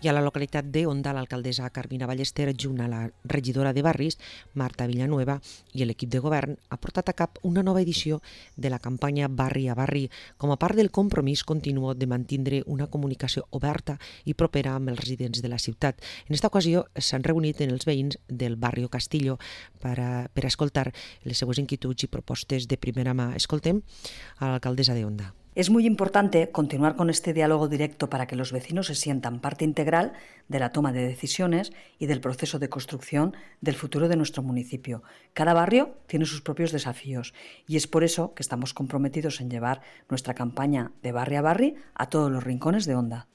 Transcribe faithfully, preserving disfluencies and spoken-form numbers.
I a la localitat de Onda, l'alcaldessa Carmina Ballester, junt a la regidora de Barris, Marta Villanueva, i l'equip de govern, ha portat a cap una nova edició de la campanya Barri a Barri, com a part del compromís continu de mantindre una comunicació oberta i propera amb els residents de la ciutat. En aquesta ocasió s'han reunit en els veïns del barri Castillo per a, per a escoltar les seues inquietuds i propostes de primera mà. Escoltem a l'alcaldessa de Onda. Es muy importante continuar con este diálogo directo para que los vecinos se sientan parte integral de la toma de decisiones y del proceso de construcción del futuro de nuestro municipio. Cada barrio tiene sus propios desafíos y es por eso que estamos comprometidos en llevar nuestra campaña de Barri a Barri a todos los rincones de Onda.